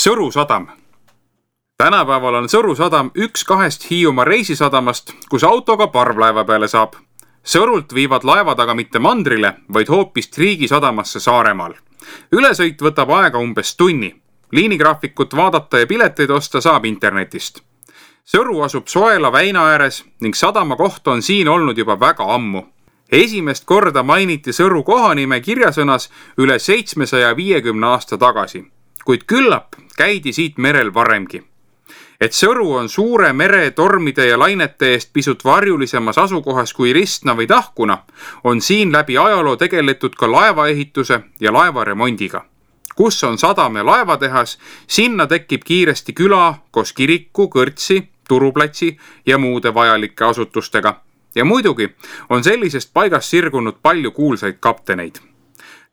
Sõru sadam. Tänapäeval on Sõru sadam üks 2 Hiiumaa reisisadamast, kus autoga parvlaeva peale saab. Sõrult viivad laevad aga mitte mandrile, vaid hoopis riigisadamasse Saaremaal. Ülesõit võtab aega umbes tunni. Liinigraafikut vaadata ja pileteid osta saab internetist. Sõru asub Soela väina ääres ning sadama koht on siin olnud juba väga ammu. Esimest korda mainiti Sõru kohanime kirjasõnas üle 750 aasta tagasi, kuid küllap käidi siit merel varemgi. Et Sõru on suure mere tormide ja lainete eest pisut varjulisemas asukohas kui Ristna või Tahkuna, on siin läbi ajaloo tegeletud ka laevaehituse ja laevaremondiga. Kus on sadam ja laevatehas, sinna tekib kiiresti küla koos kiriku, kõrtsi, turuplatsi ja muude vajalike asutustega. Ja muidugi on sellisest paigast sirgunud palju kuulsaid kapteneid.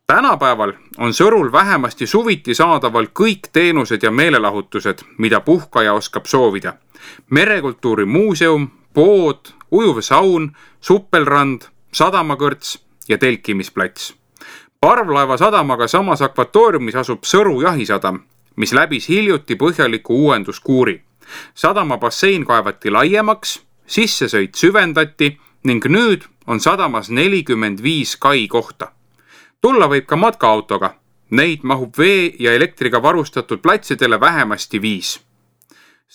Tänapäeval on Sõrul vähemasti suviti saadaval kõik teenused ja meelelahutused, mida puhkaja oskab soovida. Merekultuuri muuseum, pood, ujuv saun, suppelrand, sadamakõrts ja telkimisplats. Parvlaeva sadamaga samas akvatooriumis asub Sõru jahisadam, mis läbis hiljuti põhjaliku uuenduskuuri. Sadama bassein kaevati laiemaks, sissesõit süvendati ning nüüd on sadamas 45 kai kohta. Tulla võib ka matkaautoga. Neid mahub vee ja elektriga varustatud platsidele vähemasti 5.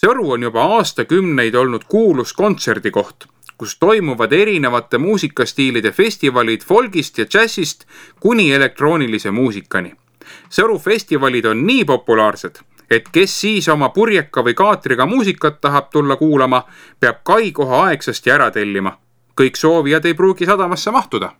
Sõru on juba aastakümneid olnud kuulus kontserdikoht, kus toimuvad erinevate muusikastiilide festivalid folgist ja džässist kuni elektroonilise muusikani. Sõru festivalid on nii populaarsed, et kes siis oma purjeka või kaatriga muusikat tahab tulla kuulama, peab kai koha aegsasti ära tellima. Kõik soovijad ei pruugi sadamasse mahtuda.